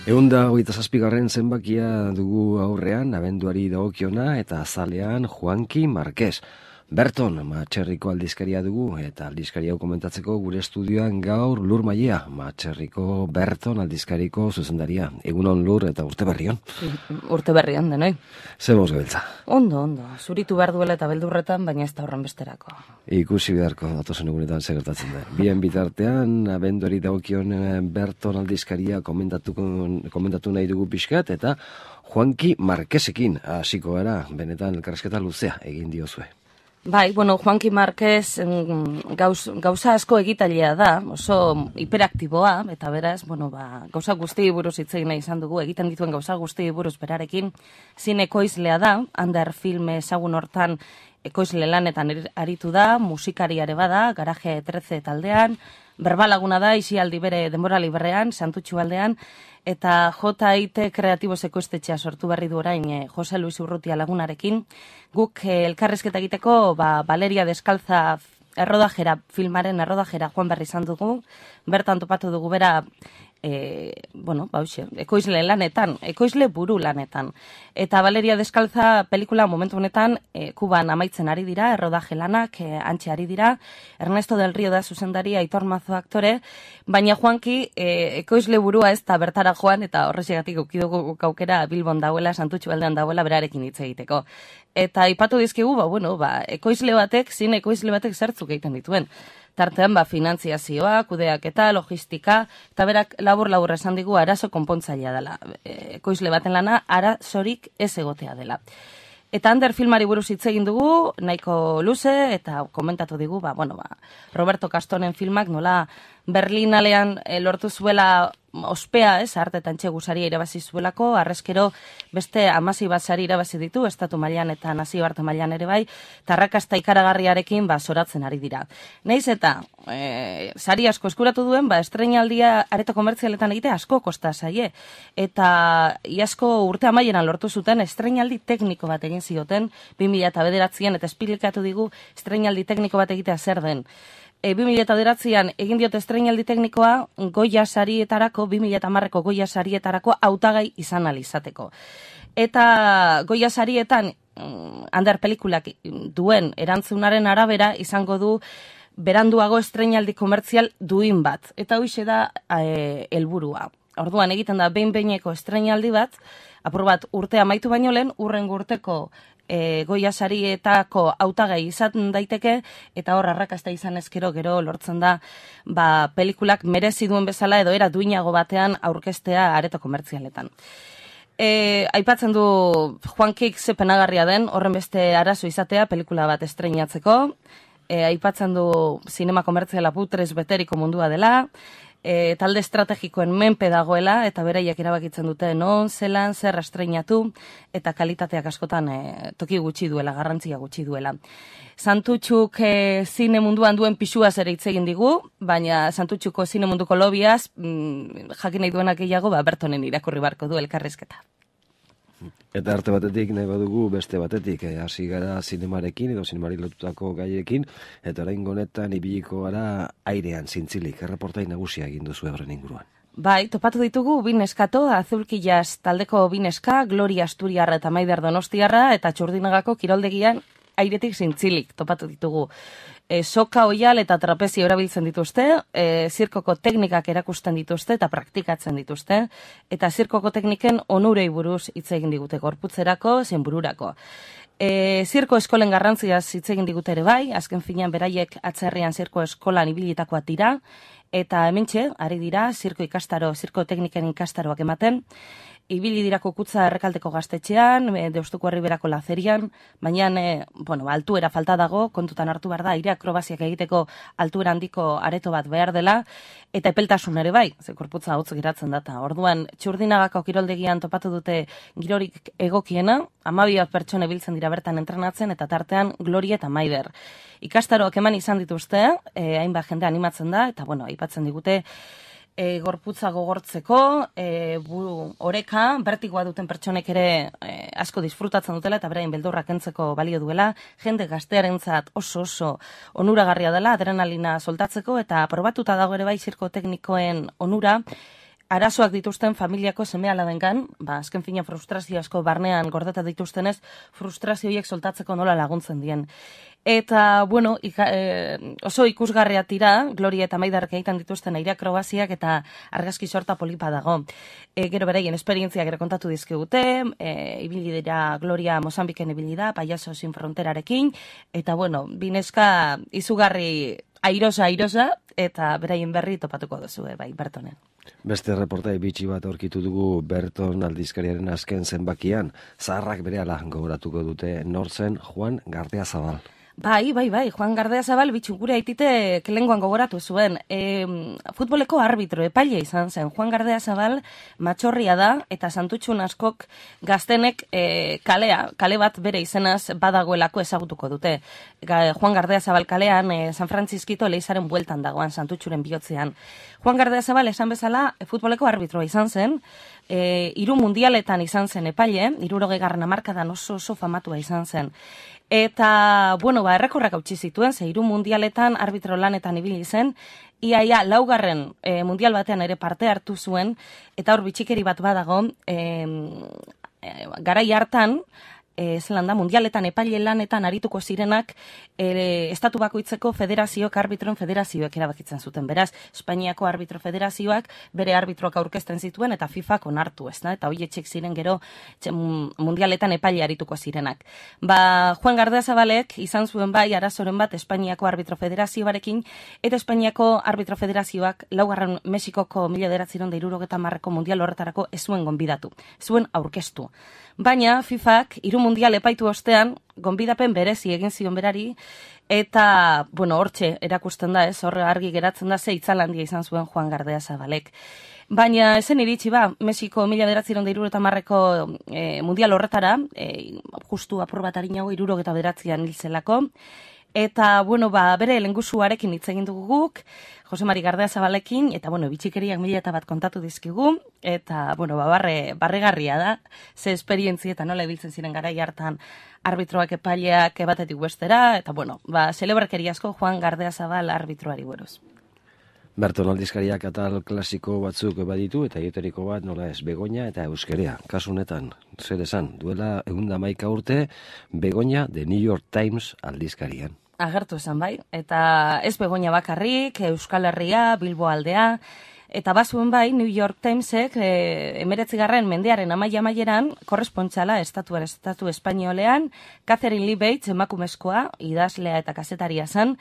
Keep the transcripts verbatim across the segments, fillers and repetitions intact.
Eunda hogeita zazpigarren zenbakia dugu aurrean, abenduari dagokiona eta azalean Juanki Marquez. Berton, Matxerriko aldizkaria dugu, eta aldizkaria hau komentatzeko gure estudioan gaur Lur Maia, Matxerriko Berton aldizkariko zuzendaria. Egunon Lur eta urte berrion. Urte berrion, denoi. Ze boz gabiltza? Ondo, ondo. Zuritu behar duela eta beldurretan, baina ez da horren besterako. Ikusi beharko, datozen egunetan segertatzen da. Bien bitartean, abenduari dagokion Berton aldizkaria komentatu, komentatu nahi dugu pixkat, eta Juanki Marquezekin hasiko gara, benetan elkarrizketa luzea egin diozue. Bai, bueno, Juanki Marquez gauz, gauza asko egitailea da, oso hiperaktiboa, eta beraz, bueno, ba, gauza guzti buruz hitz egin nahi izan dugu, egiten dituen gauza guzti buruz berarekin, zin ekoizlea da, Ander film ezagun hortan ekoizle lanetan aritu da, musikariare bada, Garaje trece taldean, berbalaguna da, isialdi bere denbora librean, Santutxu aldean, eta J I T Kreatibos ekoiztetxea sortu berri du orain eh, Jose Luis Urrutia lagunarekin. Guk eh, elkarrizketa egiteko ba, Valeria Deskalza errodajera, filmaren errodajera joan berri izan dugu, bertan topatu dugu bera E, bueno, bauxe, ekoizle lanetan, ekoizle buru lanetan. Eta Valeria Deskalza pelikula momentu honetan e, Kuban amaitzen ari dira, errodaje lanak e, antxe ari dira, Ernesto del Rio da zuzendaria, Aitor Mazo aktore, baina Juanki e, ekoizle burua ez da bertara joan, eta horrexegatik ukidugu aukera Bilbon dauela, Santutxu aldean dauela berarekin hitz egiteko. Eta ipatu dizkigu, ba, bueno, ba, ekoizle batek, zin ekoizle batek zertzuk egiten dituen. Tartean, ba, finantziazioa, kudeaketa, logistika, eta berak labur-labur esan digu arazo konpontzailea dela. Ekoizle baten lana, arazorik ez egotea dela. Eta Ander filmari buruz hitz egin dugu, nahiko luze, eta komentatu digu, ba, bueno, ba, Roberto Castonen filmak nola Berlinalean e, lortu zuela ospea, ez, arte eta antxegusaria irabazi zuelako, arrezkero beste amasi bat sari irabazi ditu, estatu mailan eta nazio arte mailan ere bai, tarrakasta ikaragarriarekin ba, zoratzen ari dira. Neiz eta e, sari asko eskuratu duen, ba, estreinaldia areto komertzialetan egite asko kosta zaie, eta iasko urte amaieran lortu zuten estreinaldi tekniko bat egin zioten, bi mila bederatzian, eta esplikatu digu estreinaldi tekniko bat egitea zer den. E, bi mila bederatzian egin diote estreinaldi teknikoa Goya sarietarako, bi mila hamarreko Goya sarietarako hautagai izan alizateko. Eta Goya sarietan Ander pelikulak duen erantzunaren arabera izango du beranduago estreinaldi komertzial duin bat. Eta hoixe da e, helburua. Orduan egiten da behin-behineko estreinaldi bat, apur bat urte amaitu baino lehen, urrengo urteko E, Goya sarietako hautagai izan daiteke, eta hor arrakasta izan ezkero gero lortzen da ba, pelikulak merezi duen bezala edo era duinago batean aurkeztea areto komertzialetan. E, aipatzen du Juankik ze penagarria den, horren beste arazo izatea pelikula bat estreinatzeko, e, aipatzen du zinema komertziala putrez beteriko mundua dela, E, talde estrategikoen menpe dagoela, eta beraiek erabakitzen dute non, zelan, zer estreinatu, eta kalitateak askotan e, toki gutxi duela, garrantzia gutxi duela. Santutxuk e, zine munduan duen pixuaz ere hitz egin digu, baina Santutxuko zine munduko lobiaz, mm, jakin nahi duenak gehiago, ba, Bertonen irakurri barko du elkarrizketa. Eta arte batetik nahi badugu beste batetik, hasi eh, gara zinemarekin edo zinemari lotutako gaiekin, eta orain honetan ibiliko gara airean zintzilik, erreportai nagusia egin duzu horren inguruan. Bai, topatu ditugu bineskato, Azulkillas taldeko bineska, Gloria Asturiarra eta Maider Donostiarra, eta Txurdinagako kiroldegian airetik zintzilik topatu ditugu. E, soka, oial eta trapezio erabiltzen dituzte, e, zirkoko teknikak erakusten dituzte eta praktikatzen dituzte, eta zirkoko tekniken onurei buruz hitz egin digute gorputzerako, zein bururako. E, zirko eskolen garrantziaz hitz egin digute ere bai, azken finean beraiek atzerrian zirko eskolan ibilitakoak dira, eta hementxe, ari dira, zirko ikastaro, zirko tekniken ikastaroak ematen, ibili dirako kutza errekaldeko gaztetxean, e, Deustuko Herriberako lazerian, baina, e, bueno, altuera falta dago, kontutan hartu behar da, aire akrobaziak egiteko altuera handiko areto bat behar dela, eta epeltasun ere bai, ze korputza hotz geratzen data. Orduan, Txurdinagako kiroldegian topatu dute girorik egokiena, hamabi bat pertsone biltzen dira bertan entrenatzen, eta tartean Gloria eta Maider. Ikastaroak eman izan dituzte, e, hainbat jende animatzen da, eta bueno, aipatzen digute, E, gorputza gogortzeko, e, buru oreka, bertigoa duten pertsonek ere e, asko disfrutatzen dutela eta berain beldurrak kentzeko balio duela, jende gaztearentzat oso oso onuragarria dela, adrenalina soltatzeko, eta probatuta dago ere bai zirko teknikoen onura, arazoak dituzten familiako seme-alabengan, ba, azken fina frustrazio asko barnean gordeta dituztenez, frustrazio horiek soltatzeko nola laguntzen dien. Eta, bueno, ika, e, oso ikusgarria tira, Gloria eta Maidarrek egiten dituzten aire akrobaziak eta argazki sorta polipa dago. E, gero beraien esperientziak ere kontatu dizkigute, e, ibili dira Gloria Mozambiken ibili da, Payaso Sin Fronterarekin, eta, bueno, bineska izugarri airosa, airosa, eta beraien berri topatuko duzu, bai, Bertonen. Beste reportai bitxi bat aurkitu dugu Berton aldizkariaren azken zenbakian, zaharrak berehala gogoratuko dute nortzen Juan Gardiazabal. Bai, bai, bai, Juan Gardiazabal bitxu gure aitite kelengoan gogoratu zuen. E, futboleko arbitro epaile izan zen. Juan Gardiazabal matxorria da eta Santutxun askok gaztenek e, kalea, kale bat bere izenaz badagoelako ezagutuko dute. Ga, Juan Gardiazabal kalean e, San Francisquito leizaren bueltan dagoan Santutxuren bihotzean. Juan Gardiazabal esan bezala e, futboleko arbitroa izan zen, e, hiru mundialetan izan zen epaile, hirurogeigarren hamarkadan oso oso famatua izan zen. Eta, bueno, ba, errekorrak hautsi zituen, ze hiru mundialetan arbitro lanetan ibili zen, iaia laugarren e, mundial batean ere parte hartu zuen, eta hor bitxikeri bat badago, e, e, garai hartan, e, zelan da, mundialetan epaile lanetan arituko zirenak, e, estatu bakoitzeko federazioak, arbitroen federazioak erabakitzen zuten. Beraz, Espainiako arbitro federazioak bere arbitroak aurkezten zituen eta FIFAk onartu, ez da? Eta hoi etxek ziren gero txe, mundialetan epaile arituko zirenak. Ba, Juan Gardiazabalek izan zuen bai arazoren bat Espainiako arbitro federazioarekin, eta Espainiako arbitro federazioak laugarren Mexikoko mila bederatziehun eta hirurogeiita hamarreko mundial horretarako ez zuen gonbidatu, ez zuen aurkeztu. Baina FIFAk hiru mundial epaitu ostean gonbidapen berezi egin zion berari, eta, bueno, hortxe erakusten da, ez, horre argi geratzen da, ze itzalandia izan zuen Juan Gardiazabalek. Baina esen iritsi ba, Mexiko mila bederatziehun eta hirurogeita hamarreko e, mundial horretara, e, justu apur bat arinago hirurogeita bederatzian hil zelako, eta, bueno, ba, bere lengusuarekin hitz egin dugu guk, Jose Mari Gardiazabalekin, eta, bueno, bitxikeriak mila eta bat kontatu dizkigu, eta, bueno, ba, barre, barregarria da, ze esperientzi eta nola ibiltzen ziren garai hartan arbitroak epaileak batetik bestera, eta, bueno, ba, celebrakeri asko Juan Gardiazabal arbitroari buruz. Berton aldizkariak atal klasiko batzuk baditu, eta eteriko bat nola ez, Begoña eta Euskerea. Kasu honetan, zer esan, duela egun da maika urte, Begoña The New York Times aldizkarian. Agertu esan bai, eta ez Begoña bakarrik, Euskal Herria, Bilbo aldea, eta bazuen bai New York Timesek e, emeretzigarren mendearen amaia amaieran korrespontxala estatuan estatu espainolean, Catherine Lee Bates emakumezkoa, idazlea eta kazetaria zen,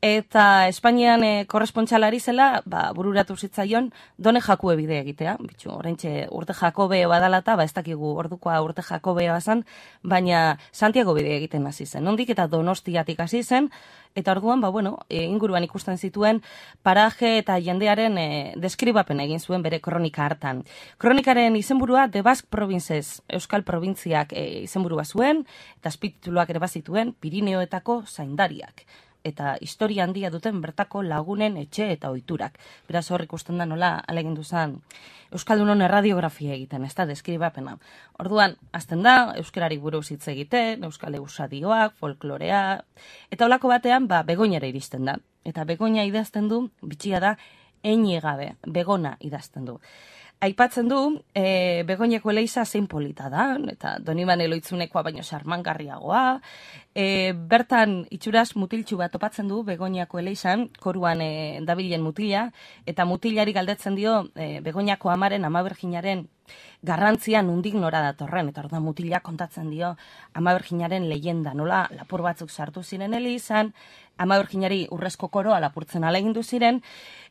eta Espainian e, korrespontxalari zela, ba, bururatu zitzaion Done Jakue bide egitea. Bitxu, oraintxe urte Jakobe badalata, ba ez dakigu ordukoa urte Jakobea bazan, baina Santiago bide egiten hasi zen. Nondik eta Donostiatik hasi zen, eta orduan, ba, bueno, e, inguruan ikusten zituen paraje eta jendearen e, deskribapen egin zuen bere kronika hartan. Kronikaren izenburua The Basque Provinces, Euskal Probintziak e, izenburua zuen, eta azpitituluak ere bazituen Pirineoetako zaindariak, eta historia handia duten bertako lagunen etxe eta ohiturak. Beraz hor ikusten da nola alegindu zen Euskaldunon erradiografia egiten, ez da, deskribapena. Orduan, azten da, euskarari buruz hitz egiten, euskal eusadioak, folklorea, eta holako batean, ba, Begoñara iristen da. Eta Begoña idazten du, bitxia da, eini gabe, Begona idazten du. Aipatzen du, e, Begoñako eleiza zein polita da, eta Doniban Eloitzunekoa baino sarmangarriagoa. E, bertan itxuraz mutiltxu bat topatzen du Begoñako eleizan, koruan e, dabilen mutila, eta mutilari galdetzen dio e, Begoñako amaren, Ama Birjinaren garrantzia nundik nora datorren, eta orduan mutila kontatzen dio Ama Birjinaren leyenda, nola lapur batzuk sartu ziren eleizan, Ama Birjinari urrezko koroa lapurtzen alegindu ziren,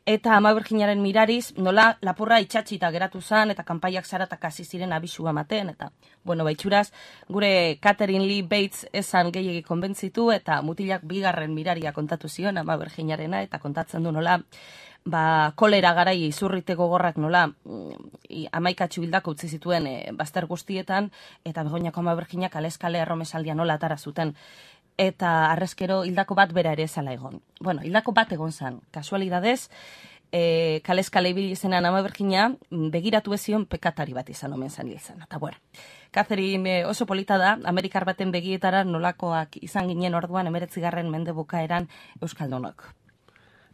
eta Ama Birjinaren mirariz nola lapurra itxatxita geratu zen, eta kanpaiak zaratak hasi ziren abisua ematen, eta, bueno, baitxuraz, gure Catherine Lee Bates esan gehiegi konbentzitu, eta mutilak bigarren miraria kontatu zion Ama Birjinarena, eta kontatzen du nola, ba, kolera garai izurrite gogorrak nola amaikatxu hildako utzi zituen e, bazter guztietan, eta Begoñako Ama Birjinak aleskale erromesaldia nola atara zuten, eta arrezkero hildako bat bera ere zala egon. Bueno, hildako bat egon zan, kasualidadez, e, kaleskale ibili zenan Ama Birjina begiratu ezion pekatari bat izan omen zan hil zen. Eta bueno, Catherine oso polita da, Amerikar baten begietara nolakoak izan ginen orduan emeretzigarren mende bukaeran Euskaldunok.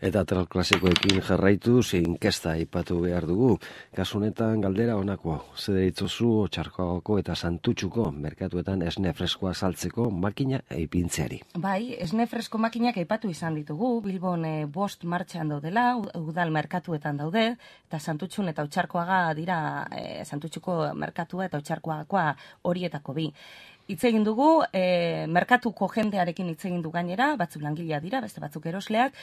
Eta tral klasikoekin jarraitu, inkesta aipatu behar dugu. Kasunetan galdera honako, zer ditzozu Txarkoagako eta Santutxuko merkatuetan esne freskoa saltzeko makina eipintzeari. Bai, esne fresko makinak aipatu izan ditugu, Bilbon e, bost martxan daudela, udal merkatuetan daude, eta Santutxun eta Txarkoaga dira e, Santutxuko merkatua eta Txarkoagakoa horietako bi. Hitz egin dugu, e, merkatuko jendearekin hitz egin du gainera, batzuk langilea dira, beste batzuk erosleak,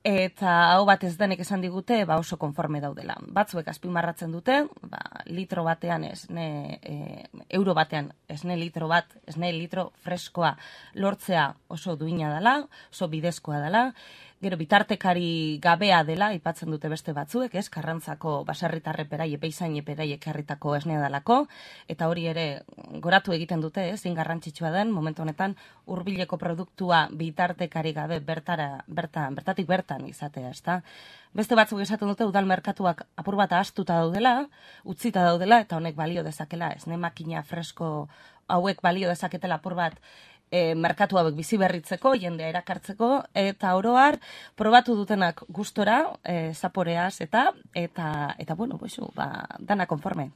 eta hau bat ez denek esan digute, ba oso konforme daudela. Batzuek azpimarratzen dute, ba, litro batean esne, e, euro batean esne litro bat, esne litro freskoa lortzea oso duina dela, oso bidezkoa dela, gero bitartekari gabea dela, aipatzen dute beste batzuek, ez, Karrantzako baserritarre perai, epeizain perai ekarritako esnea dalako, eta hori ere goratu egiten dute, ez, zin garrantzitsua den, momentu honetan hurbileko produktua bitartekari gabe bertara, bertan, bertatik bertan izatea, ezta. Beste batzuk esaten dute udal merkatuak apur bat ahaztuta daudela, utzita daudela, eta honek balio dezakela, esne makina fresko hauek balio dezaketela apur bat E, merkatu hauek bizi berritzeko, jendea erakartzeko, eta oroar probatu dutenak gustora, e, zaporeaz, eta, eta, eta bueno, boizu, ba, dana konforme.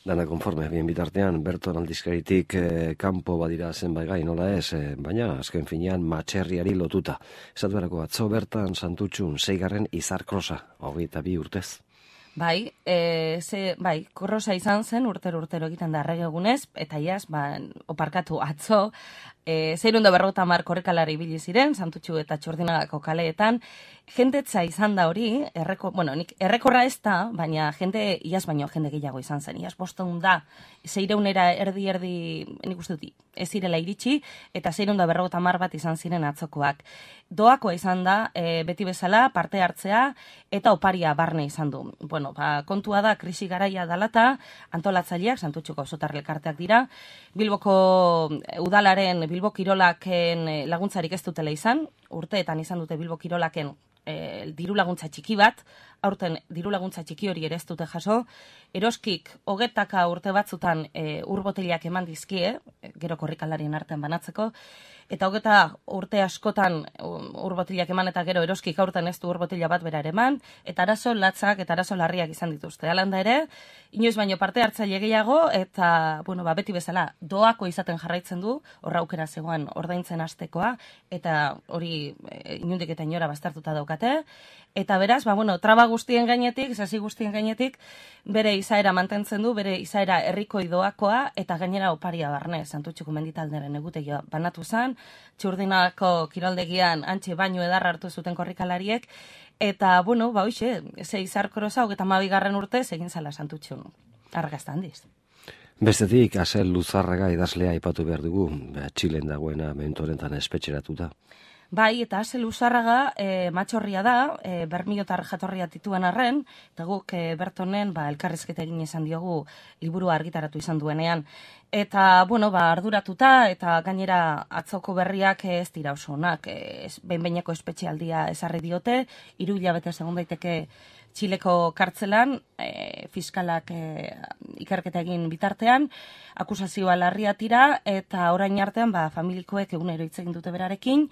Dana konforme, bien bitartean, Berton aldizkaritik eh, kanpo badira zenbait gai, nola ez, eh, baina azken finean matxerriari lotuta. Esatu berako atzo bertan Santutxun seigarren izarkrosa, hogeita bi urtez. Bai, e, ze, bai, korrosa izan zen, urtero-urtero egiten da erregegunez, eta iaz, ba, oparkatu atzo, e, zeirunda berrota mar korrekalari ibili ziren, Santutxu eta Txurdinagako kaleetan, jendetza izan da hori, erreko, bueno, nik errekorra ez da, baina jende, iaz baino jende gehiago izan zen, iaz bostehun da, zeireunera erdi-erdi, nik uste dut, ez zirela iritsi, eta zeirunda berrota mar bat izan ziren atzokoak. Doakoa izan da, e, beti bezala, parte hartzea, eta oparia barne izan du. Bueno, ba, kontua da, krisi garaia dalata, antolatzaileak, Santutxuko auzotar elkarteak dira, Bilboko udalaren, Bilbo Kirolaken laguntzarik ez dutela izan, urteetan izan dute Bilbo Kirolaken e, diru laguntza txiki bat, aurten diru laguntza txiki hori ere ez dute jaso, eroskik hogetaka urte batzutan e, urboteliak eman dizkie, gero korrikalarien artean banatzeko, eta hogeta urte askotan urbotiliak eman eta gero eroskik aurten ez du urbotila bat bera ere eman, eta arazo latzak eta arazo larriak izan dituzte. Alanda ere, inoiz baino parte hartzaile gehiago, eta bueno, ba, beti bezala doako izaten jarraitzen du, horra aukera zegoen ordaintzen hastekoa, eta hori e, inundik eta inora bastartuta daukate, eta beraz, ba, bueno, traba guztien gainetik, sasi guztien gainetik, bere izaera mantentzen du, bere izaera herrikoi doakoa, eta gainera oparia barne, Santutxuko menditalderen egutegia banatu zen, Txurdinako kiroldegian antxe baino edarra hartu zuten korrikalariek, eta, bueno, ba, hoxe, ze izarkoroza, hogeta mabigarren urte, egin zala Santutxun, argazta handiz. Bestetik, Asel Luzarraga idazlea aipatu behar dugu, Txilen dagoena mentorentan espetxeratuta. Bai, eta Asel Luzarraga e, matxorria da, e, bermiotar jatorria tituen arren, eta guk e, Bertonen ba, elkarrizketa egin izan diogu liburua argitaratu izan duenean. Eta, bueno, ba, arduratuta, eta gainera atzoko berriak ez dira oso onak, e, behin-behineko espetxealdia ezarri diote, hiru hilabete segun daiteke Txileko kartzelan, e, fiskalak e, ikerketa egin bitartean, akusazioa larria tira, eta orain artean ba, familikoek egunero hitz egin dute berarekin,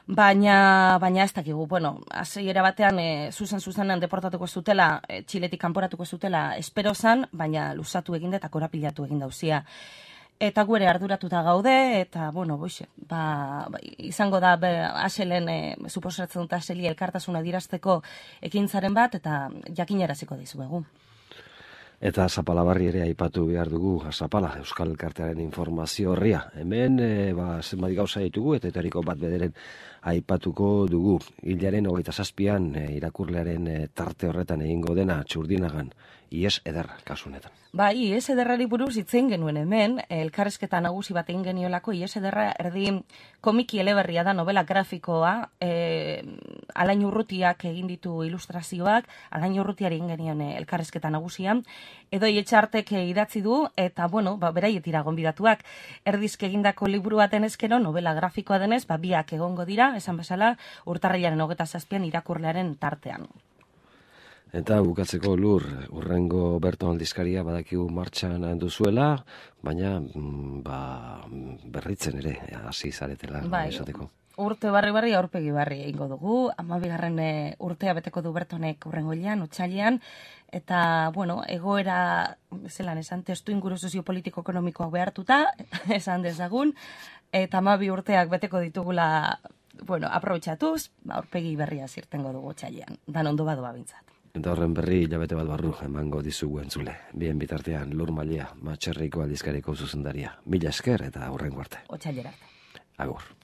Baina, baina ez dakigu, bueno, hasiera batean e, zuzen-zuzenean deportatuko zutela, e, Txiletik kanporatuko zutela espero zan, baina luzatu egin eta korapilatu egin dauzia. Eta gu ere arduratuta gaude, eta, bueno, boixe, ba, ba, izango da be, Aselen, e, suposatzen dut Aseli elkartasuna dirazteko ekintzaren bat, eta jakinaraziko dizuegu. Eta Zapalabarri ere aipatu behar dugu, Zapala, Euskal Elkartearen informazio horria. Hemen, e, ba, zenbat gauza ditugu, eta etariko bat bederen aipatuko dugu. Hilaren hogeita zazpian, e, irakurlearen e, tarte horretan egingo dena, Txurdinagan, ies ederra, kasunetan. Ba, ies ederrari buruz hitzein genuen hemen, elkarrezketa nagusi bat egin geniolako, ies ederra erdi komiki eleberria da, novela grafikoa, e, Alain Urrutiak egin ditu ilustrazioak, Alain Urrutiari egin genion elkarrezketa nagusian, edo Etxartek idatzi du, eta, bueno, ba, beraietira gonbidatuak, erdizk egindako liburu baten ezkero, novela grafikoa denez, ba, biak egongo dira, esan bezala, urtarrilaren hogeta zazpian irakurlearen tartean. Eta bukatzeko Lur, urrengo Berton aldizkaria badakigu martxan duzuela, baina ba, berritzen ere hasi zaretela bai, esateko. urte barri-barri aurpegi barri egingo dugu, hamabigarren urtea beteko du Bertonek hurrengoilean, otsailean, eta, bueno, egoera, zelan esan, testu inguru soziopolitiko-ekonomikoak behartuta, esan dezagun, eta hamabi urteak beteko ditugula, bueno, aprobetxatuz, aurpegi berria zirtengo dugu otsailean, dan ondo badoa bintzat. Eta horren berri hilabete bat barru emango dizugu entzule. Bien bitartean, Lur Malia, Matxerriko aldizkariko zuzendaria. Mila esker eta hurrengo arte. Otsailera arte. Agur.